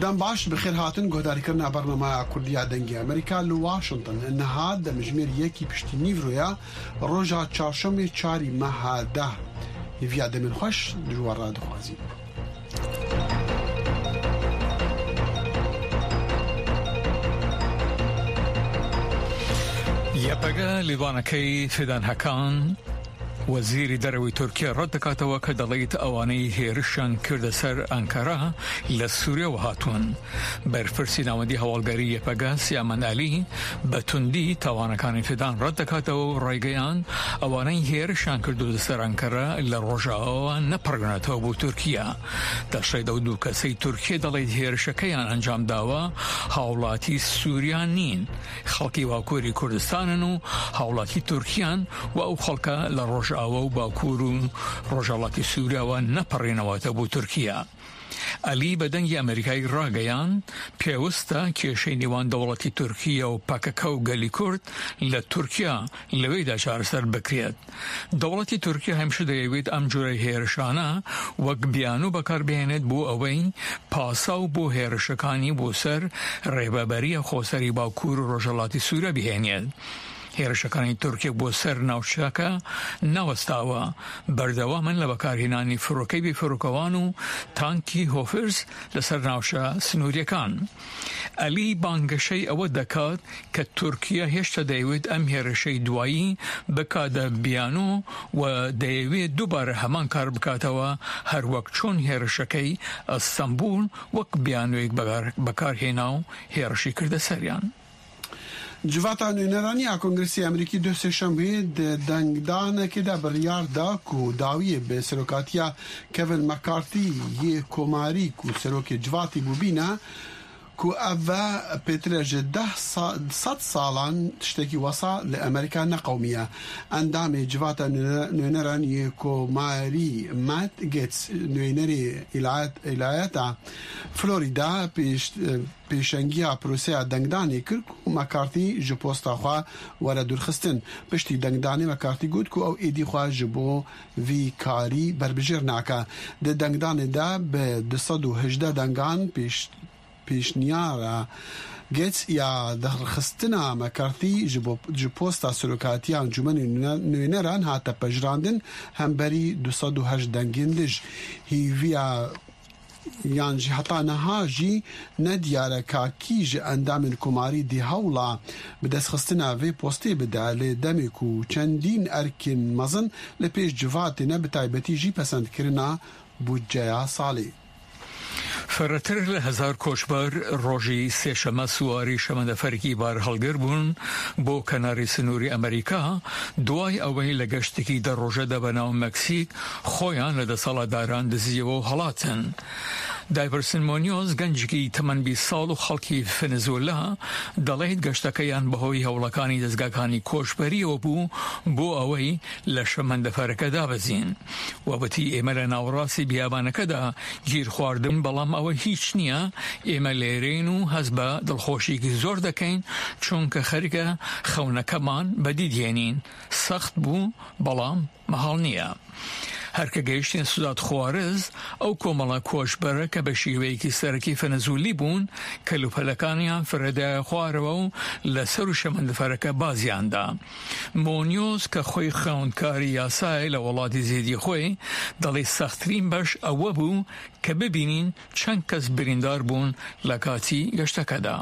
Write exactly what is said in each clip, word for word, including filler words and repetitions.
Dem baş, bi xêr hatin guhdarîkirina bernameya Kurdî ya Dengê Amerîka li Washington. Niha demjimêr yekî piştî nîvroya roja çarşemê çarî meha deh. Hêviya demên xweş ji we re dixwazî. YPG lêvanekey Fidan Hakan, وەزیری دەرەوەی تورکیا ڕەت دەکاتەوە کە دەڵێت ئەوانەی هێرشیان کردە سەر ئەنکەرە لە سووریەوە هاتوون. بەرپرسی ناوەندی هەواڵگەری یەپەگە سیامەن ئەلی بە توندی تاوانەکانی فدان ڕەت دەکاتەوە و ڕایگەیاند ئەوانەی هێرشیان کردووە سەر ئەنکەرە لە ڕۆژاواوە نەپەڕێنێتەوە بۆ تورکیا. دەشڵێت ئەو دوو کەسەی تورکیا دەڵێت هێرشەکەیان ئەنجام داوە هاوڵاتی سووریا نین، خەڵکی باکووری کوردستانن و هاوڵاتی تورکیان و ئەو خەڵکە لە ڕۆژاوا و باکوور و ڕۆژهەڵاتی سووریاوە نەپەڕێنەوەتە بۆ تورکیا. ئەلی بە دەنگی ئەمریکای ڕاگەیاند، پێوستە کێشەی نێوان دەوڵەتی تورکیا و پەکەکە و گەلی کورد لە تورکیا لەوێدا چارەسەر بکرێت. دەوڵەتی تورکیا هەمیشە دەیەوێت ئەم جۆرە هێرشانە وەک بیانوو بەکاربهێنێت بۆ ئەوەی پاساو بۆ هێرشەکانی بۆ سەر ڕێبەبەریە خۆسەری باکوور و ڕۆژهەڵاتی سوورە بهێنێت. هێرشەکانی تورکیا بۆ سەر ناوچەکە نەوەستاوە، بەردەوامن لە بەکارهێنانی فڕۆکەی بێفڕۆکەوان و تانکی هۆفرز لەسەر ناوچە سنووریەکان. ئەلی بانگەشەی ئەوە دەکات کە تورکیا هێشتا دەیەوێت ئەم هێرشەی دوایی بکاتە بیانوو و دەیەوێت دووبارە هەمان کار بکاتەوە، هەر وەک چۆن هێرشەکەی ئەستەنبول وەک بیانوویەک بەکار-، بەکارهێنا و هێرشی کردە سەریان. Civata Nûneranî ya Kongresê Amerîkî duh sêşembê di dengdanekê de biryar da ku dawiyê bi serokatiya Kevin McCarthy yê Komarî ku serokê civatî bû bîne, ku ev ve pêtir e ji deh sa-, sed salan tiştekî wesa li Amerîka neqewimiye. Endamê Civata Nûne-, Nûneranî yê Komarî Matt Gaetz, nûnerê îlayet-, îlayeta Florida pêş-, pêşengiya proseya dengdanê kir ku McCarthy ji posta xwe were dûrxistin. Piştî dengdanê McCarthy got ku ew êdî xwe ji bo vî karî berbijêr nake. Di dengdanê de bi du sed û hejdeh dengan pêş-, pêşniyara Gaetz ya derxistina McCarthy ji bo, ji posta serokatiya Encûmenê Nûne-, Nûneran hate pejirandin, hemberî du sed û heşt dengên dij. Hêviya yan jî heta niha jî nediyar e ka kî ji endamên Komarî dê hewla bi destxistina vê postê bide, lê demê ku çendîn erkên mezin li pêş civatê ne, bi taybetî jî pesendkirina budceya salê. فرەتر لە هەزار کۆچبەر ڕۆژی سێشەممە سواری شەمەندەفەرێکی بارهەڵگر بوون بۆ کەناری سنووری ئەمریکا، دوای ئەوەی لە گەشتێکی دە ڕۆژەدا بە ناو مەکسیک خۆیان لە دەسەڵاتداران دزیەوە و هەڵاتن. دایڤرسن مۆنیۆز، گەنجێکی تەمەن بیست ساڵ و خەڵکی ڤەنزوێلا، دەڵێت گەشتەکەیان بەهۆی هەوڵەکانی دەستگاکانی کۆچبەریەوە بوو بۆ ئەوەی لە شەمەندەفەرەکە دابەزین. وەبەتی ئێمە لە ناوەڕاستی بیابانەکەدا گیر خواردن، بەڵام ئەوە هیچ نییە. ئێمە لێرەین و هەست بە دڵخۆشیەکی زۆر دەکەین، چونکە خەریکە خەونەکەمان بەدی دێنین. سەخت بوو، بەڵام مەهاڵ نییە. هەرکە گەیشتین سوزات خوارز، ئەو کۆمەڵە کۆچبەرە کە بە شێوەیەکی سەرەکی فەنەزولی بوون، کەلوپەلەکانیان فرەدایە خوارەوە و لە سەر و شەمەندەفەرەکە بازیاندا. مۆنیۆز کە خۆی خوێندکاری یاسایە لە وڵاتی زێدی خۆی، دەڵێ سەختترین بەش ئەوە بوو کە ببینین چەند کەس بریندار بوون لە کاتی گەشتەکەدا.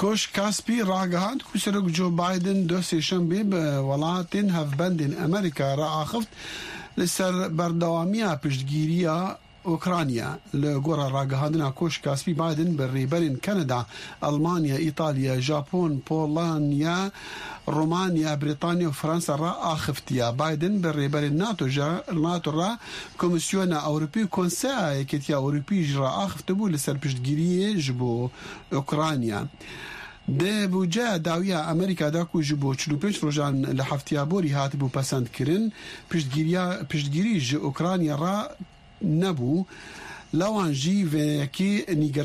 Koşk Kaspî ragihand ku Serok Joe Biden duh sêşembê bi welatên hevbendên Amerîka re axift li ser berdewamiya piştgiriya Ukrayna. Li gora ragihandina Koşk Kaspî, Biden bi rêberên Kanada, Almanya, Îtalya, Japon, Polonya, Romanya, Brîtanya û Fransa re axiftiye. Biden bi rêberên NATO jî, NATO re, Komîsyona Ewropî û Konseya Yekîtiya Ewropî jî re axifte bû li ser piştgiriyê ji bo Ukrayna. Di budceya dawiya Amerîka de ku ji bo çil û pênc rojan li heftiya borî hatibû pesendkirin, piştgiriya, piştgirî ji Ukrayna re nebû. Lewan jî vê yekê nîgir